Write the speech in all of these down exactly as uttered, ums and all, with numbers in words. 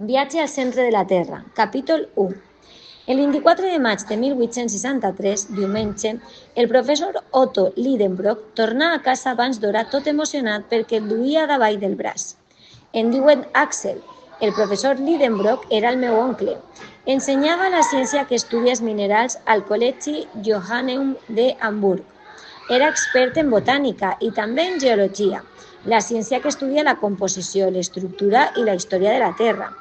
Viatge al centre de la Terra, capítol u. El vint-i-quatre de maig de mil vuit-cents seixanta-tres, diumenge, el professor Otto Lidenbrock tornà a casa abans d'hora tot emocionat perquè el duia davall del braç. Em diuen Axel. El professor Lidenbrock era el meu oncle. Ensenyava la ciència que estudia els minerals al Col·legi Johanneum de Hamburg. Era expert en botànica i també en geologia, la ciència que estudia la composició, l'estructura i la història de la Terra.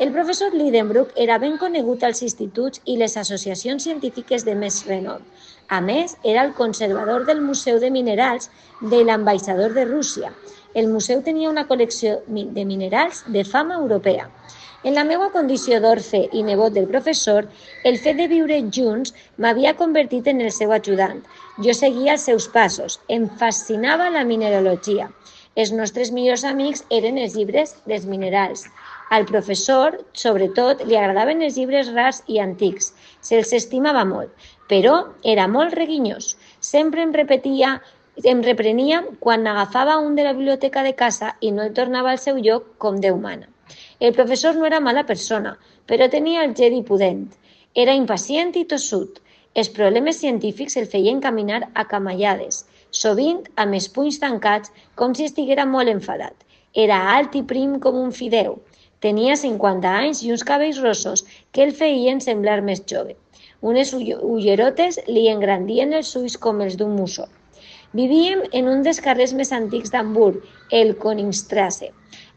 El professor Lidenbrock era ben conegut als instituts i les associacions científiques de més renom. A més, era el conservador del Museu de Minerals de l'ambaixador de Rússia. El museu tenia una col·lecció de minerals de fama europea. En la meva condició d'orfe i nebot del professor, el fet de viure junts m'havia convertit en el seu ajudant. Jo seguia els seus passos. Em fascinava la mineralogia. Els nostres millors amics eren els llibres dels minerals. Al professor, sobretot, li agradaven els llibres rars i antics. Se'ls estimava molt, però era molt reguinyós. Sempre em repetia, em reprenia quan agafava un de la biblioteca de casa i no el tornava al seu lloc com Déu mana. El professor no era mala persona, però tenia el geni pudent. Era impacient i tossut. Els problemes científics el feien caminar a camallades, sovint amb els punys tancats com si estiguera molt enfadat. Era alt i prim com un fideu. Tenia cinquanta anys i uns cabells rossos que el feien semblar més jove. Unes ullerotes li engrandien els ulls com els d'un mussol. Vivíem en un dels carrers més antics d'Hamburg, el Königstrasse.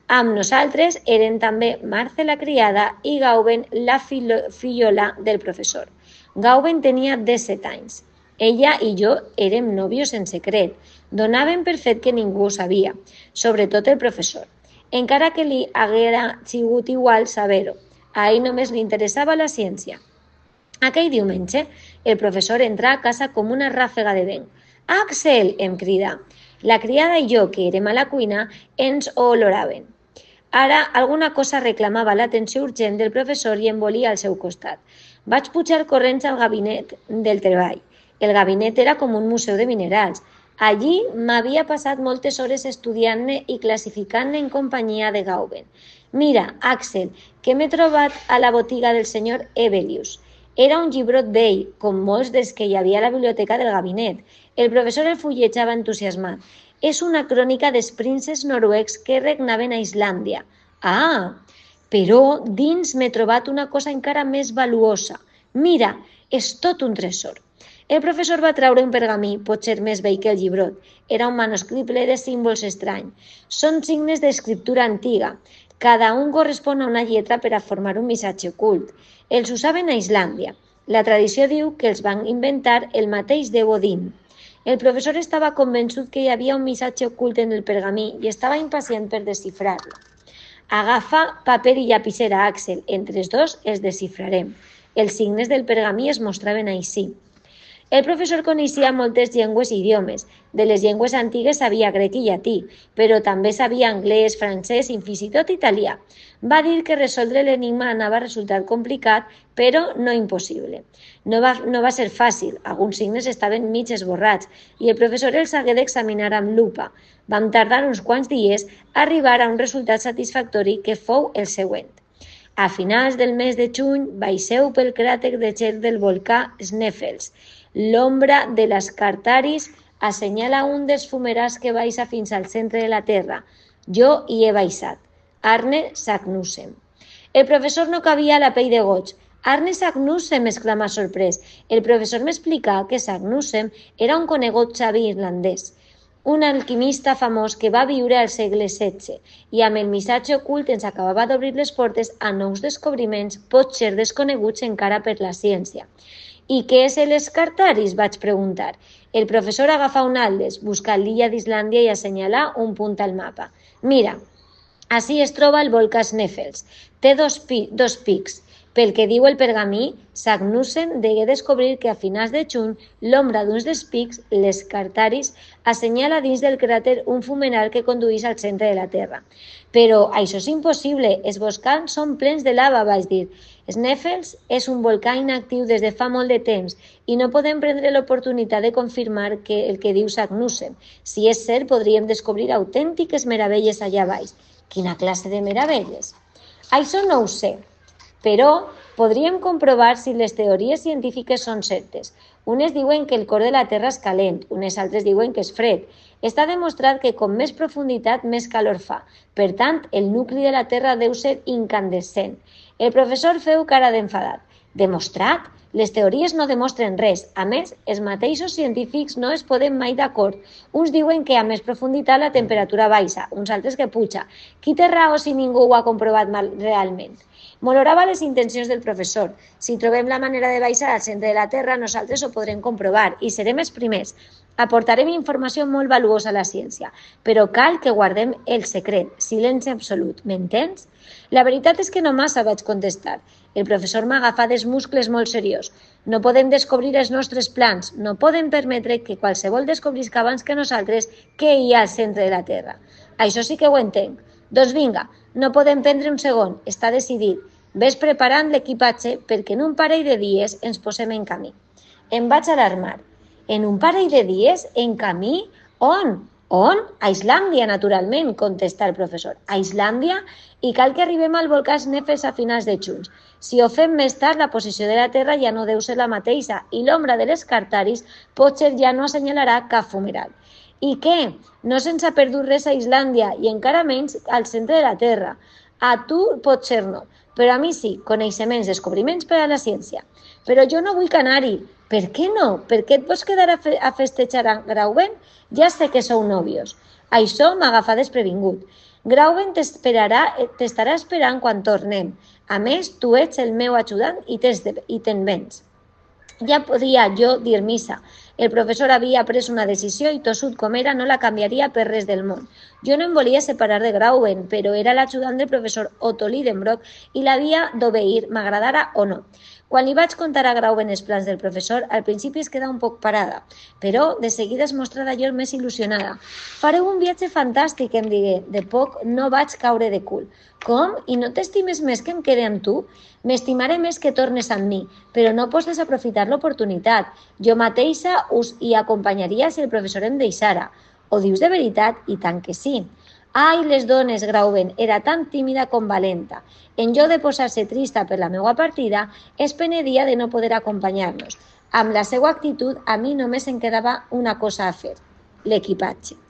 Amb nosaltres eren també Marce la criada i Gauben la fillola del professor. Gauben tenia disset anys. Ella i jo érem nòvios en secret. Donaven per fet que ningú ho sabia, sobretot el professor. Encara que li haguera sigut igual saber-ho. A ell només li interessava la ciència. Aquell diumenge, el professor entrà a casa com una ràfega de vent. «Axel!», em cridà. La criada i jo, que érem a la cuina, ens oloraven. Ara, alguna cosa reclamava l'atenció urgent del professor i em volia al seu costat. Vaig pujar corrents al gabinet del treball. El gabinet era com un museu de minerals. Allí m'havia passat moltes hores estudiant-ne i classificant-ne en companyia de Gauben. «Mira, Axel, que m'he trobat a la botiga del senyor Hevelius». Era un llibrot vell, com molts dels que hi havia a la biblioteca del gabinet. El professor el fullejava entusiasmat. És una crònica dels prínceps noruecs que regnaven a Islàndia. Ah, però dins m'he trobat una cosa encara més valuosa. Mira, és tot un tresor. El professor va treure un pergamí, potser més vell que el llibrot. Era un manuscrit ple de símbols estranys. Són signes d'escriptura antiga. Cada un correspon a una lletra per a formar un missatge ocult. Els usaven a Islàndia. La tradició diu que els van inventar el mateix déu Odin. El professor estava convençut que hi havia un missatge ocult en el pergamí i estava impacient per desxifrar-lo. Agafa paper i llapissera, Axel. Entre els dos els desxifrarem. Els signes del pergamí es mostraven així. El professor coneixia moltes llengües i idiomes. De les llengües antigues sabia grec i llatí, però també sabia anglès, francès i fins i tot italià. Va dir que resoldre l'enigma anava a resultar complicat, però no impossible. No va, no va ser fàcil, alguns signes estaven mig esborrats i el professor els hagué d'examinar amb lupa. Vam tardar uns quants dies a arribar a un resultat satisfactori que fou el següent. A finals del mes de juny baixeu pel cràter de gel del volcà Sneffels. L'ombra de l'Ascartaris assenyala un dels fumerars que baixa fins al centre de la Terra. Jo hi he baixat. Arne Sagnussem. El professor no cabia a la pell de goig. Arne Sagnussem, exclamà sorprès. El professor m'explicà que Sagnussem era un conegut savi irlandès, un alquimista famós que va viure al segle setze i amb el missatge ocult ens acabava d'obrir les portes a nous descobriments, potser desconeguts encara per la ciència. «I què és l'Ascartaris?», vaig preguntar. El professor agafà un atles, buscà l'illa d'Islàndia i assenyalà un punt al mapa. «Mira, ací es troba el volcà Sneffels. Té dos, pi dos pics. Pel que diu el pergamí, Sagnussem degué descobrir que a finals de juny l'ombra d'uns dels pics, l'Ascartaris, assenyala dins del cràter un fumeral que condueix al centre de la Terra. Però això és impossible, els volcans són plens de lava, vaig dir. Sneffels és un volcà inactiu des de fa molt de temps i no podem prendre l'oportunitat de confirmar que el que diu Sagnussem. Si és cert, podríem descobrir autèntiques meravelles allà baix. Quina classe de meravelles? Això no ho sé, però podríem comprovar si les teories científiques són certes. Unes diuen que el cor de la Terra és calent, unes altres diuen que és fred. Està demostrat que com més profunditat, més calor fa. Per tant, el nucli de la Terra deu ser incandescent. El professor feu cara d'enfadat. Demostrat? Les teories no demostren res. A més, els mateixos científics no es poden mai d'acord. Uns diuen que a més profunditat la temperatura baixa, uns altres que puja. Qui té raó si ningú ho ha comprovat realment? M'olorava les intencions del professor. Si trobem la manera de baixar al centre de la Terra, nosaltres ho podrem comprovar i serem els primers. Aportarem informació molt valuosa a la ciència, però cal que guardem el secret, silenci absolut, m'entens? La veritat és que no massa, vaig contestar. El professor m'agafa dels muscles molt seriós. No podem descobrir els nostres plans, no podem permetre que qualsevol descobrisca abans que nosaltres què hi ha al centre de la Terra. Això sí que ho entenc. Doncs vinga, no podem prendre un segon, està decidit. Ves preparant l'equipatge perquè en un parell de dies ens posem en camí. Em vaig alarmar. En un parell de dies? En camí? On? On? A Islàndia, naturalment, contesta el professor. A Islàndia? I cal que arribem al volcà Snæfell a finals de juny. Si ho fem més tard, la posició de la Terra ja no deu ser la mateixa i l'ombra de les Cartaris potser ja no assenyalarà cap fumeral. I què? No se'ns ha perdut res a Islàndia i encara menys al centre de la Terra. A tu potser no, però a mi sí, coneixements, descobriments per a la ciència. Però jo no vull anar-hi. Per què no? Per què et vols quedar a, fe a festejar a Grauben? Ja sé que sou nòvios. Això m'agafa desprevingut. Grauben t'estarà esperant quan tornem. A més, tu ets el meu ajudant i te'n vens. Ja podia jo dir missa. El professor havia pres una decisió i tossut com era no la canviaria per res del món. Jo no em volia separar de Grauben, però era l'ajudant del professor Otto Lidenbrock i l'havia d'obeir, m'agradara o no. Quan li vaig contar a Grauben els plans del professor, al principi es queda un poc parada, però de seguida es mostra d'allò més il·lusionada. Fareu un viatge fantàstic, em digué. De poc no vaig caure de cul. Com? I no t'estimes més que em quede amb tu? M'estimaré més que tornes amb mi, però no pots desaprofitar l'oportunitat. Jo mateixa us hi acompanyaria si el professor em deixara. Ho dius de veritat? I tant que sí. Ai, les dones, Grauben, era tan tímida com valenta. En lloc de posar-se trista per la meva partida, es penedia de no poder acompanyar-nos. Amb la seva actitud, a mi només em quedava una cosa a fer, l'equipatge.